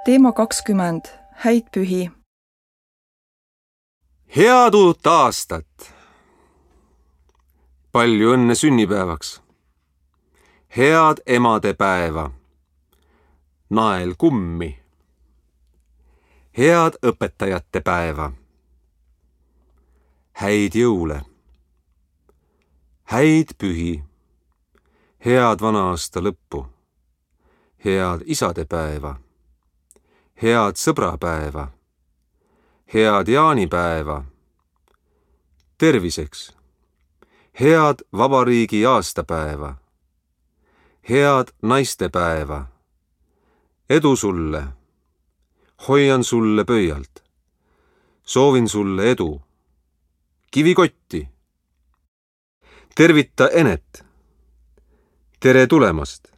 Teema 20. Häid pühi. Head uut aastat! Palju õnne sünnipäevaks! Head emadepäeva! Nael kummi! Head õpetajate päeva! Häid jõule! Häid pühi! Head vana aasta lõppu! Head isadepäeva! Head sõbrapäeva! Head jaanipäeva! Terviseks! Head vabariigi aastapäeva! Head naistepäeva! Edu sulle! Hoian sulle pöialt! Soovin sulle edu! Kivikotti! Tervita Enet! Tere tulemast!